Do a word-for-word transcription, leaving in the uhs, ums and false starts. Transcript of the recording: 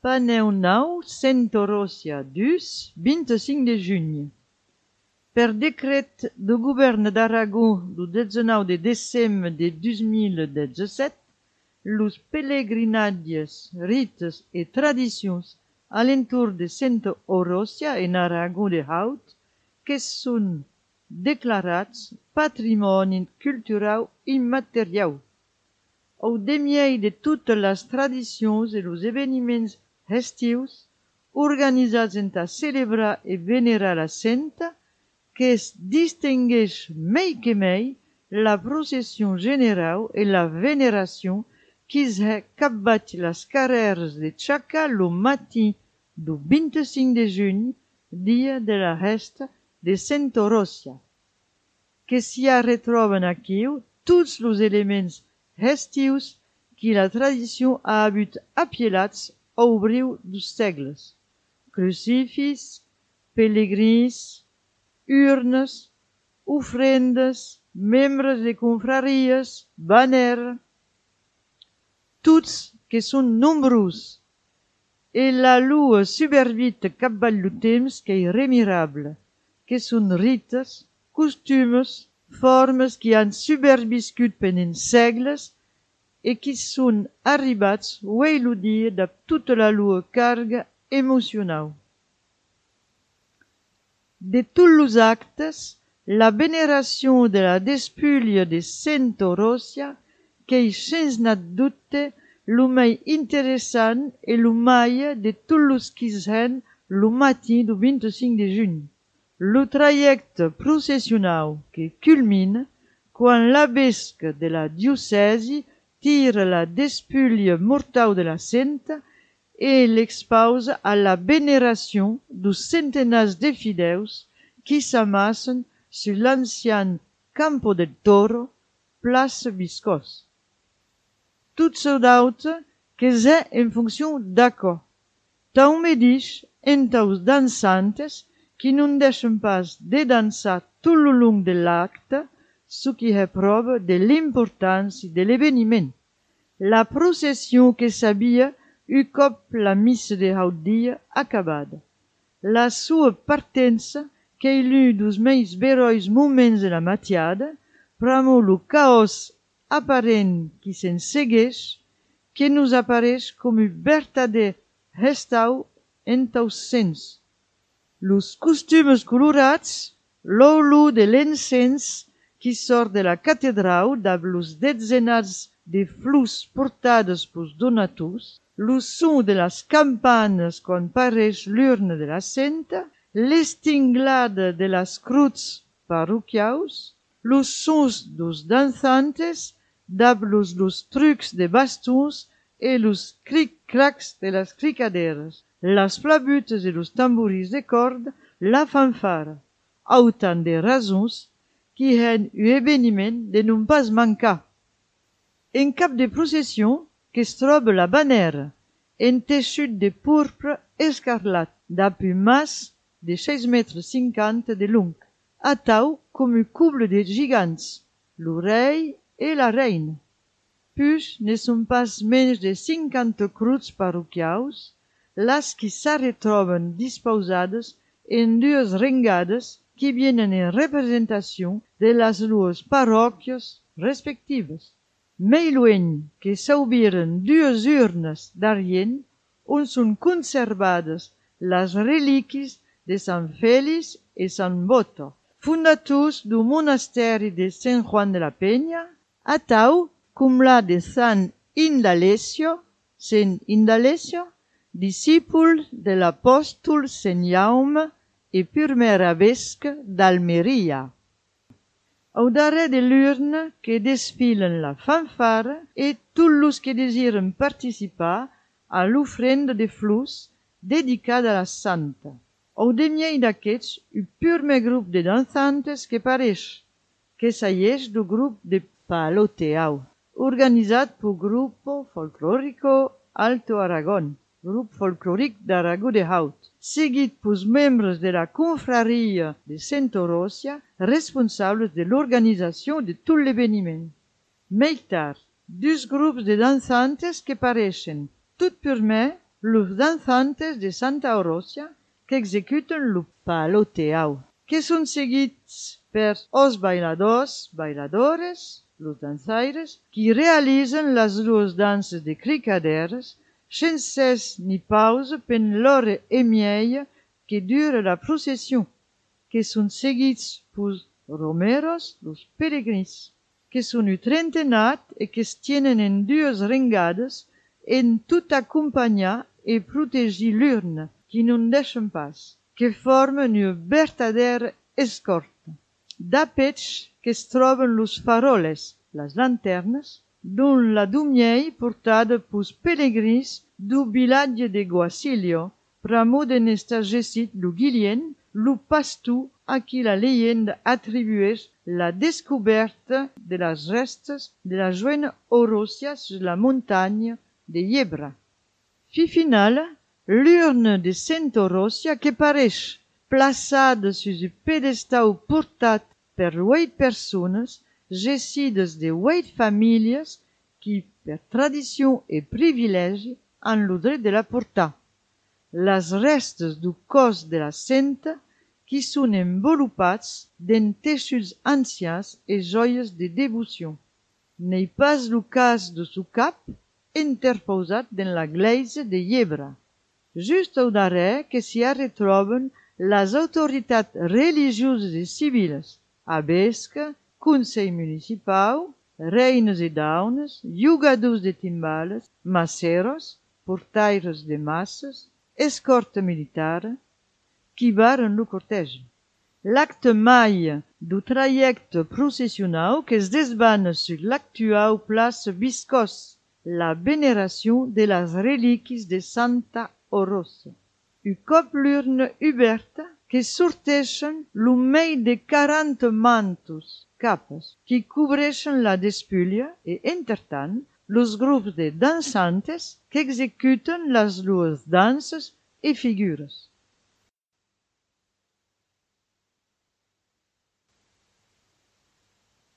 Paneu nou Santa Rosia dus, vint-i-cinc de juny. Per decret do govern d'Aragó do dezenau de decembre de dos mil disset, los pelegrinatges, rites e tradicions a l'entorn de Santa Rosia en Aragó de Haut, que són declarats patrimoni cultural immaterial. Au demiei de totes les tradicions e los esdeveniments estius organitzats entà celebrar e venerar la santa, que es distingueix mei que mei la procession generau e la veneració quis è capbat las carrers de Chaca lo matí do vint-i-cinc de juny, dia de la festa de Santa Rosia, que s'hi retroben aquiu tots los elements estius qui la tradició ha habut apielats au briu dos segles: crucifix, pelegrins, urnes, ofrendes, membres de confraries, banner, tots que són nombrosos, e la lua supervit capbat lo temps que è remirable, que són rites, costumes, formes qui han superviscut pendent segles e qui són arribats uei lo dia de tota la lua carga emocionau. De tots los actes, la veneració de la despulha de Santa Rosia, que és sens nat dubte lo mai interessant e lo mai de tots los qui sen lo matí do vint-i-cinc de juny. Lo trajecte processionau que culmina quan l'abbesca de la diocesi tira la despulha mortau de la santa e l'expausa a la veneració dos centenars de fideus qui s'amassen sur l'ancien Campo del Toro, place Viscós. Tot çò d'autre que c'est en fonction d'acord. Tant me dix entaus dansantes qui non deixen pas de dansar tout le long de l'acte, ce qui est preuve de l'importància de l'événement. La procession que s'havia un cop la missa de haut dia acabada. La sua partença, que est l'un dos meus berois moments de la matiada, pramo lo caos aparent qui se'n segueix, que nous apareix com un vertader restau entaus sens. Los costumes colorats, l'olor de l'encens qui sort de la catedral dab los dezenats de flors portades pels donators, lo son de las campanas quan pareix l'urna de la santa, l'estinglada de las cruts parroquiaus, los sons dos danzantes, dab los, los trucs de bastons e los cric-cracs de las cricaderas, las flabutes e los tamboris de corda, la fanfara, autant de raisons qui hen un événement de non pas mancar. En cap de procession que es troba la bannera, en teixut de pourpre escarlat, dap un mas de seis mètres cinquanta de long, atau com un couple de gigants, lo rei e la reina. Puis ne són pas menys de cinquanta cruts parroquiaus, las qui s'arretroben dispausades en dues rengades qui vienen en representació de las dues parròquies respectives. Mei lueny que s'aubiren dues urnes d'argent on són conservades les relíquies de Sant Félix e Sant Boto, fundators do monasteri de Sant Juan de la Peña, atau com la de Sant Indalecio, Sant Indalecio, discípul de l'apòstol Sant Jaume e primer arabesque d'Almeria. Au darrer de l'urna que desfilen la fanfara et tous los que desiren participar a l'ofrenda de flors dedicada a la santa. Au demiei d'aquests, un primer grup de danzantes que pareix que s'aieix do grup de paloteau, organitzat pel Grupo Folclórico Alto Aragón, grup folclòric d'Aragó de Haut, seguit pels membres de la confraria de Santa Rosia, responsables de l'organització de tot l'événement. Més tard, dos grups de dansantes que pareixen, tot primer, los danzantes de Santa Orosia que executen lo paloteau, que son seguits per os bailadors, bailadores, los dansaires, qui realitzen las dues danses de cricaderes, sense ni pausa pen l'hora e mieja que dura la procession, que son seguits pus romeros, los peregrins, que son utrentenat e que es tienen en dues ringades en tot acompanyar e protegir l'urne, qui non deixen pas, que formen una vertadera escorta. D'apetx que es troben los faroles, las lanternes, don la dumiei portada pus pelegrins du vilatge de Guacilio, pramo de n'estar gesit lo Guillén, lo pastor a qui la leyenda atribueix la descoberta de las restes de la joven Orosia sur la montagne de Yebra. Fi final, l'urne de Santa Orosia que pareix plaçada sus un pedestal portat per huit persones, gessides de huit famílies qui, per tradició e privilegi, han lo dret de la portar. Las restes du cos de la senta qui són envolupats d'en teixuts ancians e joies de devoció. N'ei pas lo cas de su cap interposat den la gleisa de Yebra. Just au darrere que s'hi retroben las autoritats religioses e civiles, abesca, consell municipal, reines e daunes, jugadors de timbales, maceros, portaires de massas, escorta militar, qui varen lo cortège. L'acte mai du trajecte processional que es desbana sur l'actual place Viscós, la veneració de las relíquies de Santa Orosia. Un cop l'urne oberta, que sorteixen lo mei de quaranta mantos, capes, qui cobreixen la despulla e, entretant, los grups de dansantes que executen las dues danses e figures.